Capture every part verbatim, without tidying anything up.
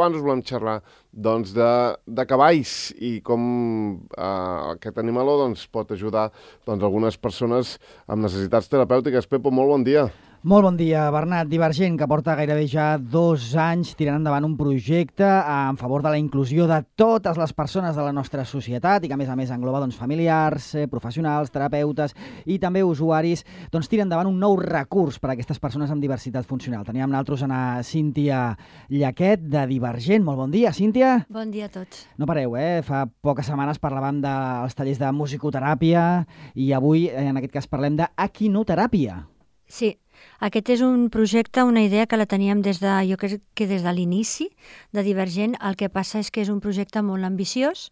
abans us volem xerrar doncs, de, de cavalls i com eh, aquest animaló doncs, pot ajudar doncs, algunes persones amb necessitats terapèutiques. Pepo, molt bon dia. Molt bon dia, Bernat. Divergent, que porta gairebé ja dos anys tirant endavant un projecte en favor de la inclusió de totes les persones de la nostra societat i que, a més a més, engloba doncs, familiars, eh, professionals, terapeutes i també usuaris, doncs, tira endavant un nou recurs per a aquestes persones amb diversitat funcional. Teníem nosaltres a Cíntia Llaquet, de Divergent. Molt bon dia, Cíntia. Bon dia a tots. No pareu, eh? Fa poques setmanes parlàvem dels tallers de musicoteràpia i avui, en aquest cas, parlem d'equinoteràpia. Sí, aquest és un projecte, una idea que la teníem des de, jo crec que des de l'inici de Divergent. El que passa és que és un projecte molt ambiciós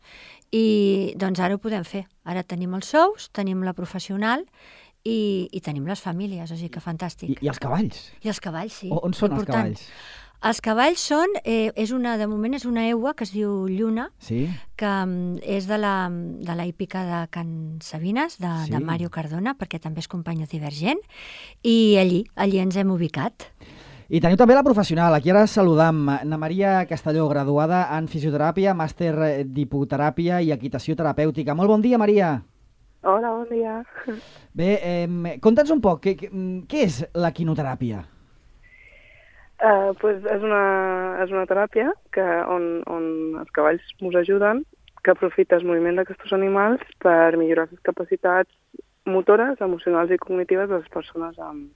i doncs ara ho podem fer. Ara tenim els sous, tenim la professional i, i tenim les famílies, o sigui que fantàstic. I, i els cavalls? I els cavalls, sí. O, on són important. Els cavalls? Els cavalls són, eh, és una, de moment és una eua que es diu Lluna, sí? que um, és de la, de la hípica de Can Sabines, de, sí. de Mario Cardona, perquè també és company de Divergent, i allí, allí ens hem ubicat. I teniu també la professional. Aquí ara saludam Ana Maria Castelló, graduada en fisioteràpia, màster d'hipoteràpia i equitació terapèutica. Molt bon dia, Maria. Hola, bon dia. Bé, eh, conta'ns un poc, què, què és l'equinoteràpia? Uh, pues és, una, és una teràpia que, on, on els cavalls ens ajuden, que aprofita el moviment d'aquests animals per millorar les capacitats motores, emocionals i cognitives de les persones amb,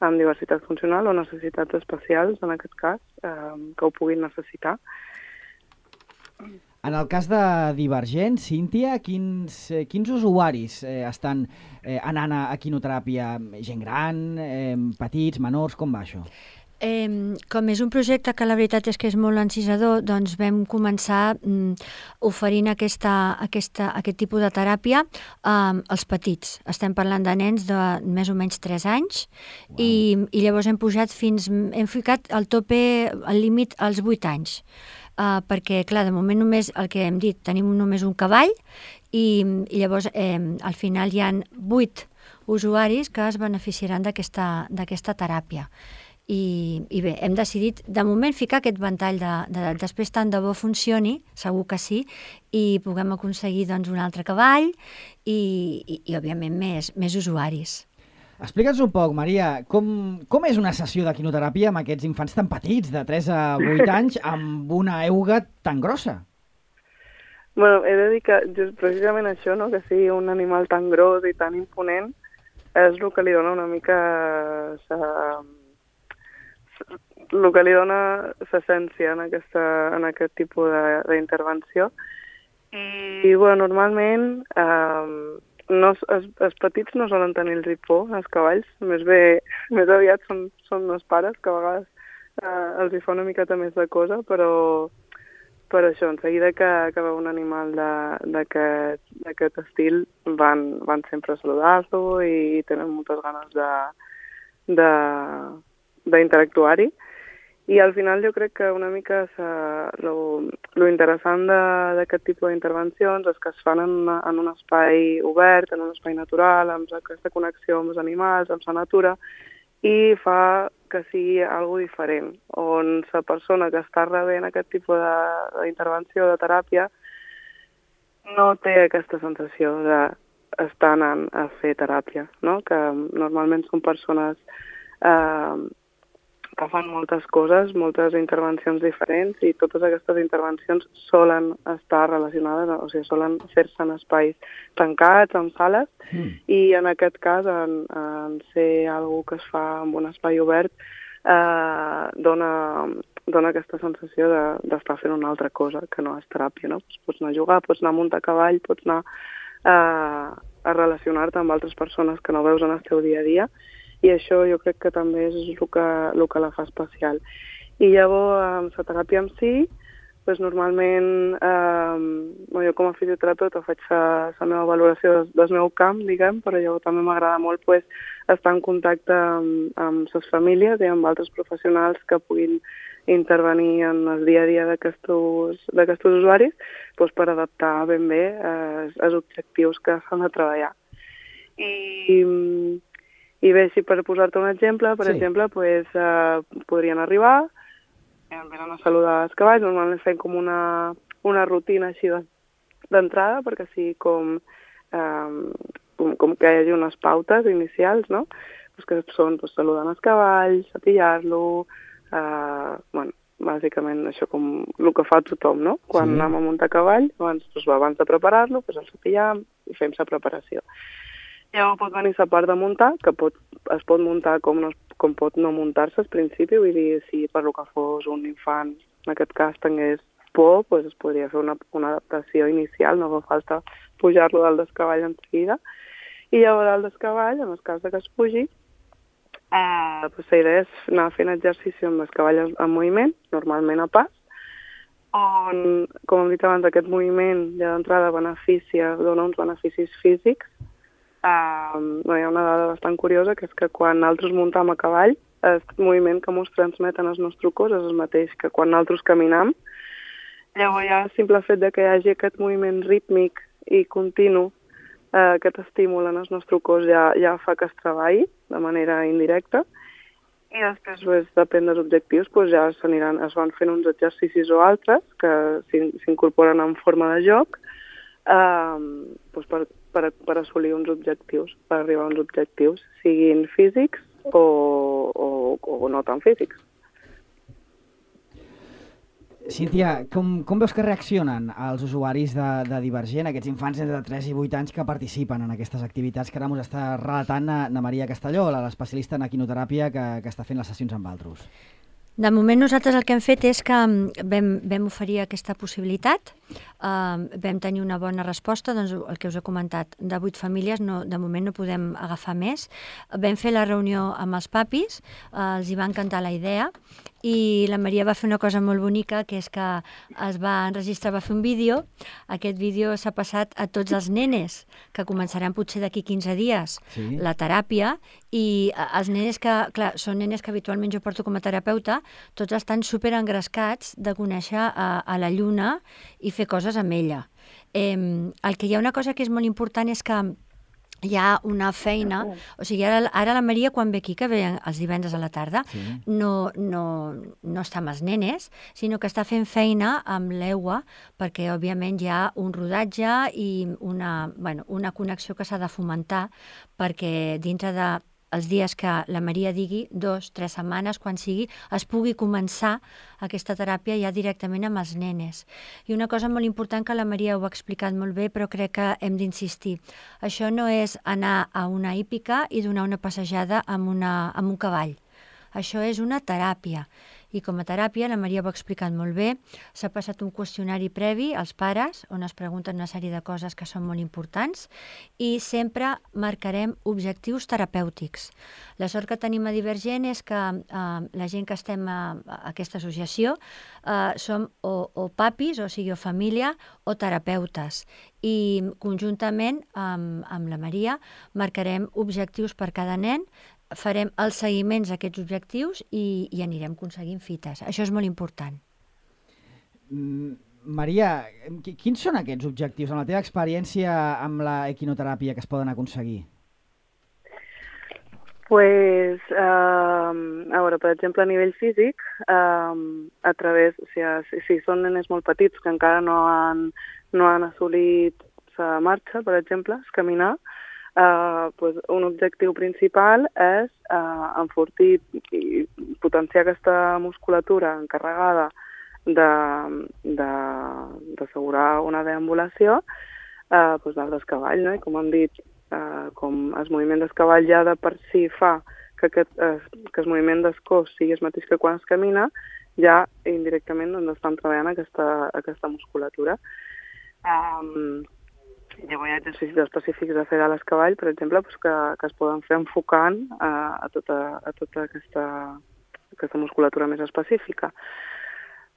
amb diversitat funcional o necessitats especials, en aquest cas, uh, que ho puguin necessitar. En el cas de Divergent, Cíntia, quins, eh, quins usuaris eh, estan eh, anant a equinoteràpia? Gent gran, eh, petits, menors, com va això? Eh, com és un projecte que la veritat és que és molt encisador, doncs vam començar mm, oferint aquesta, aquesta, aquest tipus de teràpia eh, als petits. Estem parlant de nens de més o menys tres anys. Wow. i, i llavors hem pujat fins, hem ficat el tope, el límit als vuit anys. Uh, perquè, clar, de moment només, el que hem dit, tenim només un cavall i, i llavors eh, al final hi ha vuit usuaris que es beneficiaran d'aquesta d'aquesta teràpia. I, I bé, hem decidit de moment ficar aquest ventall de, de després tant de bo funcioni, segur que sí, i puguem aconseguir doncs, un altre cavall i, i, i òbviament més, més usuaris. Explica'ns un poc, Maria, com, com és una sessió d'equinoteràpia amb aquests infants tan petits, de tres a vuit anys, amb una euga tan grossa? Bueno, he de dir que just precisament això, no? Que sigui un animal tan gros i tan imponent, és el que li dona una mica... Sa, el que li dona l'essència en, aquesta, en aquest tipus d'intervenció. I, bueno, normalment... Eh, No, els, els petits no solen tenir el por, els cavalls, més bé, més aviat són, són els pares, que a vegades eh, els hi fa una miqueta més de cosa, però per això, en seguida que, que veu un animal d'aquest estil, van, van sempre a saludar-lo i tenen moltes ganes d'interactuar-hi. I al final jo crec que una mica lo interessant d'aquest tipus d'intervencions és que es fan en, una, en un espai obert, en un espai natural, amb aquesta connexió amb els animals, amb la natura, i fa que sigui algo diferent, on la persona que està rebent aquest tipus d'intervenció, de, de teràpia, no té aquesta sensació d'estar anant a fer teràpia, no? Que normalment són persones... Eh, que fan moltes coses, moltes intervencions diferents i totes aquestes intervencions solen estar relacionades, o sigui, solen fer-se en espais tancats, en sales, mm. i en aquest cas, en, en ser algo que es fa en un espai obert, eh, dona, dona aquesta sensació d'estar de, fent una altra cosa que no és teràpia, no? Pots anar a jugar, pots anar a muntar a cavall, pots anar eh, a relacionar-te amb altres persones que no veus en el teu dia a dia, i això jo crec que també és el que, el que la fa especial. I llavors, amb la teràpia en si, doncs normalment, eh, jo com a fisioterapeuta faig la, la meva valoració del, del meu camp, diguem, però llavors també m'agrada molt pues, estar en contacte amb, amb les famílies i amb altres professionals que puguin intervenir en el dia a dia d'aquests usuaris doncs, per adaptar ben bé eh, els objectius que s'han de treballar. I... I bé, si per posar-te un exemple, per sí. exemple, pues, uh, podrien arribar, venen a saludar els cavalls, normalment fem com una, una rutina així d'entrada, perquè sigui com, eh, com, com que hi hagi unes pautes inicials, no? Pues que són pues, saludant els cavalls, apillar-lo, eh, bueno, bàsicament això com el que fa tothom, no? Quan sí. anem a muntar cavall, abans, doncs, abans de preparar-lo, doncs el sapillam i fem la preparació. Llavors pot venir la part de muntar, que pot, es pot muntar com, no, com pot no muntar-se al principi, vull dir, si per lo que fos un infant, en aquest cas tingués por, doncs es podria fer una, una adaptació inicial, no fa falta pujar-lo dalt del cavall en seguida. I llavors dalt del cavall, en el cas de que es pugi, eh, doncs la idea és anar fent exercici amb el cavall en moviment, normalment a pas, on, com hem dit abans, aquest moviment ja d'entrada beneficia, dona uns beneficis físics. Uh, no, hi ha una dada bastant curiosa, que és que quan nosaltres muntem a cavall, el moviment que ens transmeten el nostre cos és el mateix que quan nosaltres caminam. Llavors ja el simple fet de que hi hagi aquest moviment rítmic i continu, uh, aquest estímul en el nostre cos ja, ja fa que es treballi de manera indirecta. I després, pues, depèn dels objectius, pues, ja s'aniran, es van fent uns exercicis o altres que s'incorporen en forma de joc, uh, pues, per Per, per assolir uns objectius, per arribar a uns objectius, siguin físics o, o, o no tan físics. Cíntia, com, com veus que reaccionen els usuaris de, de Divergent, aquests infants entre tres i vuit anys que participen en aquestes activitats que ara ens està relatant na, na Maria Castelló, l'especialista en equinoteràpia que, que està fent les sessions amb altres? De moment nosaltres el que hem fet és que vam, vam oferir aquesta possibilitat, uh, vam tenir una bona resposta, doncs el que us he comentat, de vuit famílies, no, de moment no podem agafar més. Vam fer la reunió amb els papis, uh, els hi va encantar la idea, i la Maria va fer una cosa molt bonica, que és que es va enregistrar, va fer un vídeo, aquest vídeo s'ha passat a tots els nenes, que començaran potser d'aquí quinze dies, sí. la teràpia, i els nenes que, clar, són nenes que habitualment jo porto com a terapeuta, tots estan super engrescats de conèixer a, a la lluna i fer coses amb ella. Eh, el que hi ha una cosa que és molt important és que hi ha una feina, o sigui, ara, ara la Maria quan ve aquí, que ve els divendres a la tarda, sí. no, no, no està amb els nenes, sinó que està fent feina amb l'E U A, perquè òbviament hi ha un rodatge i una, bueno, una connexió que s'ha de fomentar, perquè dintre de els dies que la Maria digui, dos, tres setmanes, quan sigui, es pugui començar aquesta teràpia ja directament amb els nenes. I una cosa molt important que la Maria ho ha explicat molt bé, però crec que hem d'insistir. Això no és anar a una hípica i donar una passejada amb, una, amb un cavall. Això és una teràpia. I com a teràpia, la Maria ho ha explicat molt bé, s'ha passat un qüestionari previ als pares, on es pregunten una sèrie de coses que són molt importants, i sempre marcarem objectius terapèutics. La sort que tenim a Divergent és que eh, la gent que estem a, a aquesta associació eh, som o, o papis, o sigui, o família, o terapeutes. I conjuntament amb, amb la Maria marcarem objectius per cada nen, farem els seguiments a aquests objectius i, i anirem aconseguint fites. Això és molt important. Mm, Maria, quins són aquests objectius, en la teva experiència amb la equinoteràpia, que es poden aconseguir? Pues, eh, a veure, per exemple, a nivell físic, eh, a través, o sigui, si, si són nenes molt petits que encara no han, no han assolit la marxa, per exemple, és caminar, Uh, pues un objectiu principal és uh, enfortir i potenciar aquesta musculatura encarregada d'assegurar de, una deambulació uh, pues dalt del cavall, no? I com hem dit, uh, com el moviment del cavall ja de per si fa que, aquest, uh, que el moviment del cos sigui el mateix que quan es camina, ja indirectament doncs, estan treballant aquesta, aquesta musculatura. Um, Llavors hi ha exercicis específics de fer a l'escavall, per exemple, doncs que, que es poden fer enfocant a, a tota, a tota aquesta, aquesta musculatura més específica.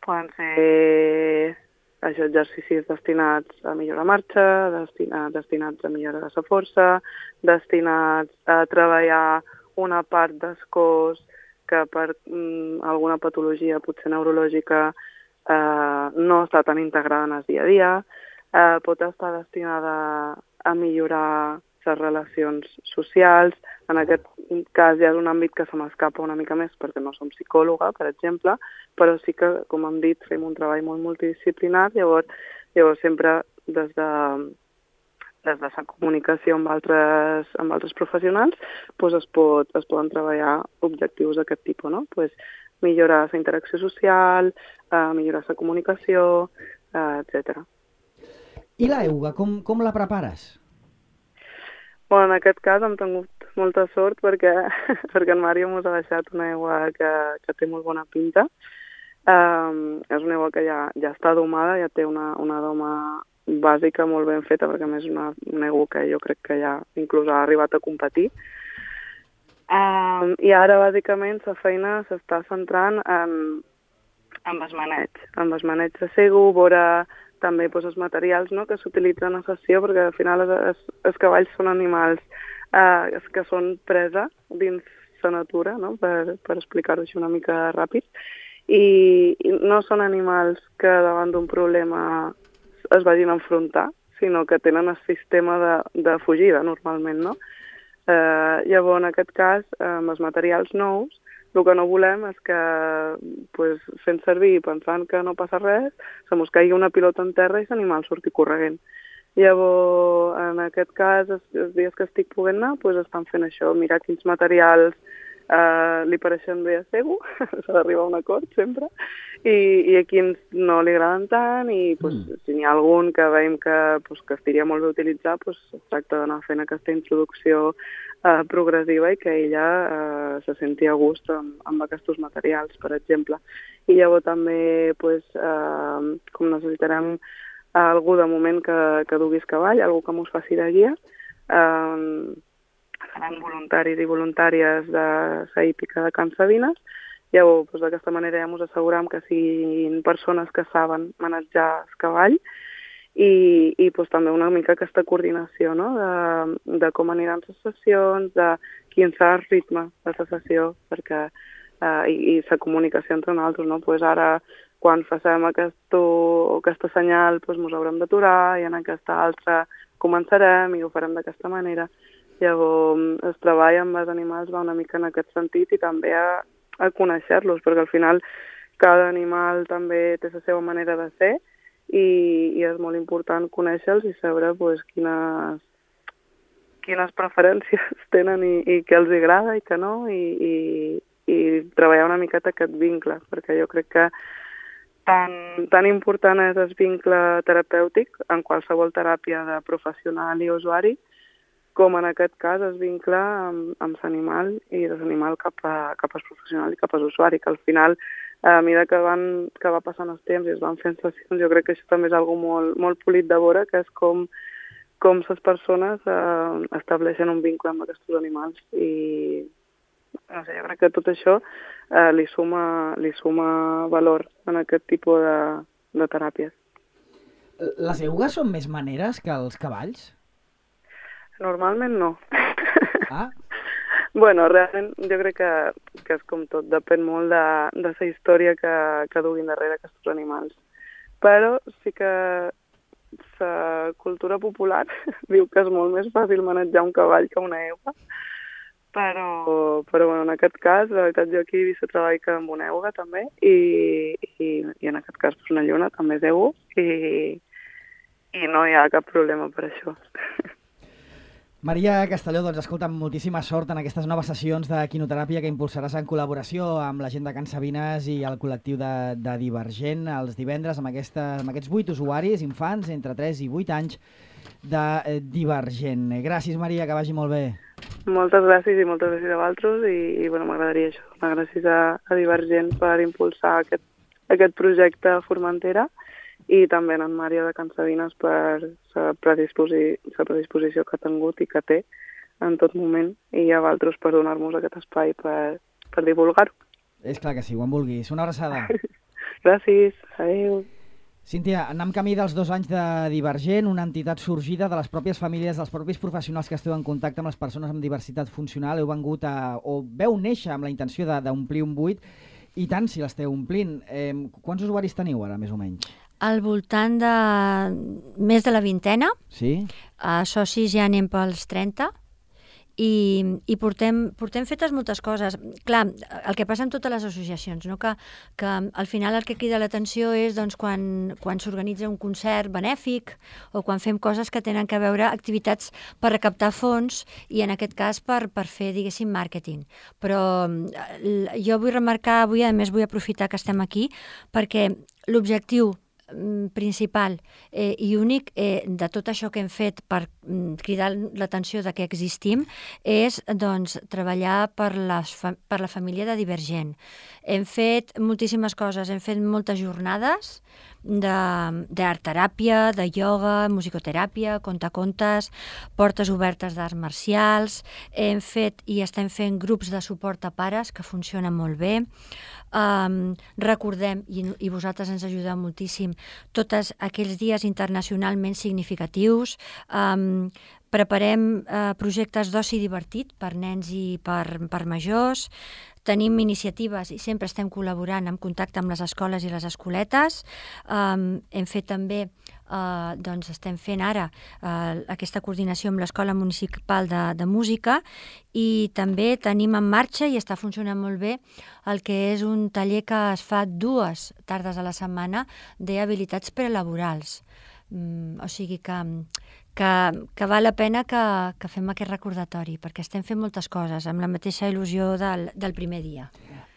Poden ser això, exercicis destinats a millorar la marxa, destina, destinats a millorar la força, destinats a treballar una part del cos que per mm, alguna patologia, potser neurològica, eh, no està tan integrada en el dia a dia. Uh, pot estar destinada a millorar les relacions socials. En aquest cas ja és un àmbit que se m'escapa una mica més perquè no som psicòloga, per exemple, però sí que, com hem dit, fem un treball molt multidisciplinar, llavors, llavors sempre des de, des de la comunicació amb altres, amb altres professionals doncs es, pot, es poden treballar objectius d'aquest tipus, no? Pues millorar la interacció social, eh, millorar la comunicació, eh, etcètera. I la euga, com, com la prepares? Bueno, en aquest cas hem tingut molta sort perquè, perquè en Mario ens ha deixat una aigua que, que té molt bona pinta. Um, és una aigua que ja, ja està domada, ja té una, una doma bàsica molt ben feta, perquè a més és una, una aigua que jo crec que ja inclús ha arribat a competir. Um, I ara, bàsicament, la feina s'està centrant en, en el maneig, en el maneig de sego, veure també doncs, els materials, no?, que s'utilitzen a sessió, perquè al final els, els cavalls són animals eh, que són presa dins la natura, no?, per, per explicar-ho així una mica ràpid, i, i no són animals que davant d'un problema es vagin a enfrontar, sinó que tenen el sistema de, de fugida, normalment, no? Eh, llavors, en aquest cas, amb els materials nous, el que no volem és que, pues, fent servir i pensant que no passa res, se mos caigui una pilota en terra i l'animal surti corregent. Llavors, en aquest cas, els, els dies que estic podent anar, pues, estan fent això, mirar quins materials eh, li pareixen bé a sego, s'ha d'arribar a un acord sempre, i, i a quins no li agraden tant, i pues, mm. si n'hi ha algun que veiem que, pues, que estiria molt bé utilitzar, pues, es tracta d'anar fent aquesta introducció Uh, progressiva i que ella uh, se senti a gust amb, amb aquests materials, per exemple. I llavors també, pues, uh, com necessitarem uh, algú de moment que, que duguis cavall, algú que mos faci de guia, uh, seran voluntaris i voluntàries de la hípica de Can Sabines. Llavors, pues, d'aquesta manera ja ens assegurem que siguin persones que saben manejar el cavall, i, i pues, també una mica aquesta coordinació, no?, de, de com aniran les sessions, de quin serà el ritme de la sessió, perquè, eh, i, i la comunicació entre nosaltres, no? Pues ara, quan facem aquest, aquesta senyal, pues, ens haurem d'aturar, i en aquesta altra començarem i ho farem d'aquesta manera. Llavors, el treball amb els animals va una mica en aquest sentit i també a, a conèixer-los, perquè al final cada animal també té la seva manera de ser, I, i és molt important conèixer-los i saber pues, quines, quines preferències tenen i, i què els agrada i què no, i, i, i treballar una miqueta aquest vincle, perquè jo crec que tan, tan important és el vincle terapèutic en qualsevol teràpia de professional i usuari, com en aquest cas el vincle amb, amb l'animal i de l'animal cap, a, cap al professional i cap a l'usuari, que al final, a mesura que, van, que va passant els temps i es van fent sessions, jo crec que això també és algo molt, molt polit de veure, que és com, com les persones eh, estableixen un vincle amb aquests animals. I no sé, jo crec que tot això eh, li, suma, li suma valor en aquest tipus de, de teràpies. Les eugues són més maneres que els cavalls? Normalment no. Ah? Bueno, realment jo crec que, que és com tot, depèn molt de, de la història que, que duguin darrere aquests animals. Però sí que la cultura popular diu que és molt més fàcil manejar un cavall que una euga, però, però bueno, en aquest cas, la veritat, jo aquí he vist el treball que amb una euga també, i, i, i en aquest cas pues, una lluna també és euga, i, i no hi ha cap problema per això. Maria Castelló, doncs escolta, amb moltíssima sort en aquestes noves sessions de quinoteràpia que impulsaràs en col·laboració amb la gent de Can Sabines i el col·lectiu de, de Divergent els divendres amb, aquesta, amb aquests vuit usuaris, infants, entre tres i vuit anys de eh, Divergent. Gràcies, Maria, que vagi molt bé. Moltes gràcies i moltes gràcies a vosaltres i, i bueno, m'agradaria això. Gràcies a, a Divergent per impulsar aquest, aquest projecte a Formentera i també en Maria de Can Sabines per la predisposi predisposició que ha tingut i que té en tot moment, i a vosaltres per donar-nos aquest espai per, per divulgar-ho. És clar que sí, quan vulguis. Una abraçada. Gràcies, adéu. Cíntia, anem camí dels dos anys de Divergent, una entitat sorgida de les pròpies famílies, dels propis professionals que esteu en contacte amb les persones amb diversitat funcional. Heu vengut a, o veu néixer amb la intenció d'omplir un buit, i tant si l'esteu omplint. Eh, quants usuaris teniu ara, més o menys? Al voltant de més de la vintena. Sí? A socis ja anem pels trenta. I, i portem, portem fetes moltes coses. Clar, el que passa en totes les associacions, no? que, que al final el que crida l'atenció és doncs, quan, quan s'organitza un concert benèfic o quan fem coses que tenen que veure activitats per recaptar fons i en aquest cas per, per fer, diguéssim, màrqueting. Però jo vull remarcar avui, a més vull aprofitar que estem aquí, perquè l'objectiu principal eh, i únic eh, de tot això que hem fet per mm, cridar l'atenció de que existim és doncs, treballar per, les fa per la família de Divergent. Hem fet moltíssimes coses, hem fet moltes jornades d'art-teràpia, de, de ioga, musicoteràpia, contacontes, portes obertes d'arts marcials, hem fet i estem fent grups de suport a pares que funcionen molt bé. Um, recordem, i, i vosaltres ens ajudeu moltíssim, tots aquells dies internacionalment significatius. Um, preparem uh, projectes d'oci divertit per nens i per, per majors. Tenim iniciatives i sempre estem col·laborant en contacte amb les escoles i les escoletes. Um, hem fet també, uh, doncs estem fent ara uh, aquesta coordinació amb l'Escola Municipal de, de Música i també tenim en marxa i està funcionant molt bé el que és un taller que es fa dues tardes a la setmana d'habilitats prelaborals. Um, o sigui que... Que, que val la pena que, que fem aquest recordatori, perquè estem fent moltes coses amb la mateixa il·lusió del, del primer dia.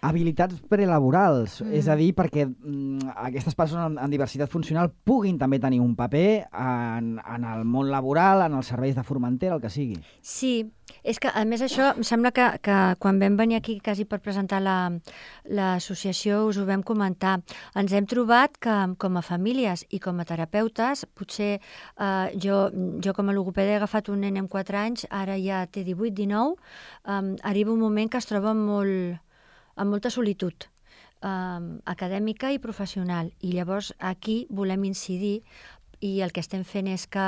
Habilitats prelaborals, mm. és a dir, perquè mm, aquestes persones amb, amb diversitat funcional puguin també tenir un paper en, en el món laboral, en els serveis de Formentera, el que sigui. Sí, és que a més això em sembla que, que quan vam venir aquí quasi per presentar l'associació la, us ho vam comentar. Ens hem trobat que com a famílies i com a terapeutes, potser eh, jo, jo com a logopeda he agafat un nen amb quatre anys, ara ja té divuit, dinou, eh, arriba un moment que es troba molt... amb molta solitud eh, acadèmica i professional. I llavors aquí volem incidir i el que estem fent és que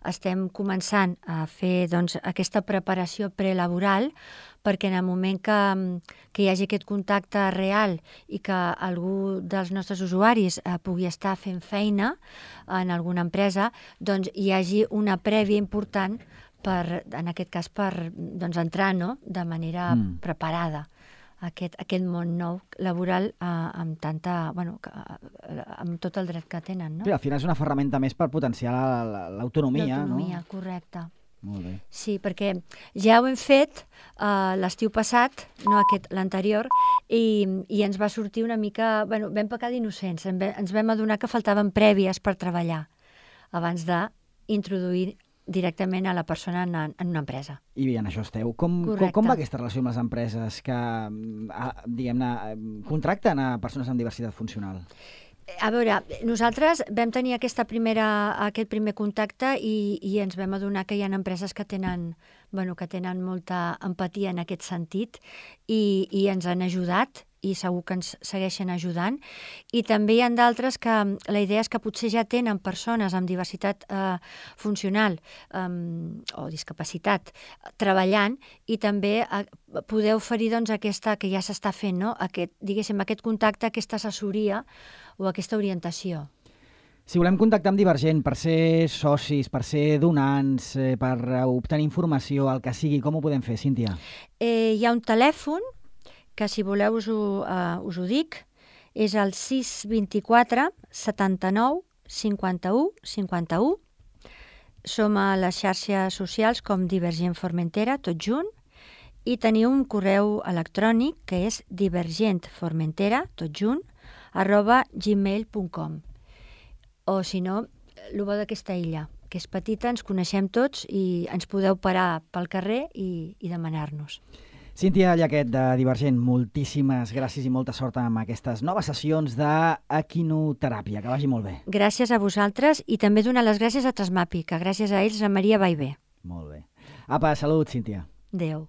estem començant a fer doncs, aquesta preparació prelaboral perquè en el moment que, que hi hagi aquest contacte real i que algú dels nostres usuaris eh, pugui estar fent feina en alguna empresa, doncs hi hagi una prèvia important per, en aquest cas per doncs, entrar no? de manera mm. preparada. Aquest, aquest món nou laboral eh, amb tanta, bueno, eh, amb tot el dret que tenen, no? Sí, al final és una ferramenta més per potenciar l'autonomia, la, la, no? L'autonomia, correcte. Molt bé. Sí, perquè ja ho hem fet eh, l'estiu passat, no aquest, l'anterior, i, i ens va sortir una mica, bueno, vam pecar d'innocents, ens vam adonar que faltaven prèvies per treballar abans d'introduir directament a la persona en, en una empresa. I bé, en això esteu. Com, com, com va aquesta relació amb les empreses que, diguem-ne, contracten a persones amb diversitat funcional? A veure, nosaltres vam tenir aquesta primera, aquest primer contacte i, i ens vam adonar que hi ha empreses que tenen, bueno, que tenen molta empatia en aquest sentit i, i ens han ajudat i segur que ens segueixen ajudant. I també hi ha d'altres que la idea és que potser ja tenen persones amb diversitat eh, funcional eh, o discapacitat treballant i també eh, poder oferir doncs, aquesta que ja s'està fent, no? aquest, diguéssim, aquest contacte, aquesta assessoria o aquesta orientació. Si volem contactar amb Divergent per ser socis, per ser donants, eh, per obtenir informació, el que sigui, com ho podem fer, Cíntia? Eh, hi ha un telèfon que si voleu us ho, uh, us ho dic, és el sis vint-i-quatre setanta-nou cinquanta-u cinquanta-u. Som a les xarxes socials com Divergent Formentera, tot junt, i teniu un correu electrònic que és divergentformentera, tot junt, arroba gmail punt com. O si no, el bo d'aquesta illa, que és petita, ens coneixem tots i ens podeu parar pel carrer i, i demanar-nos. Cíntia Llaquet, de Divergent, moltíssimes gràcies i molta sort amb aquestes noves sessions d'equinoteràpia. Que vagi molt bé. Gràcies a vosaltres i també donar les gràcies a Trasmapi, que gràcies a ells la Maria va i bé. Molt bé. Apa, salut, Cíntia. Adéu.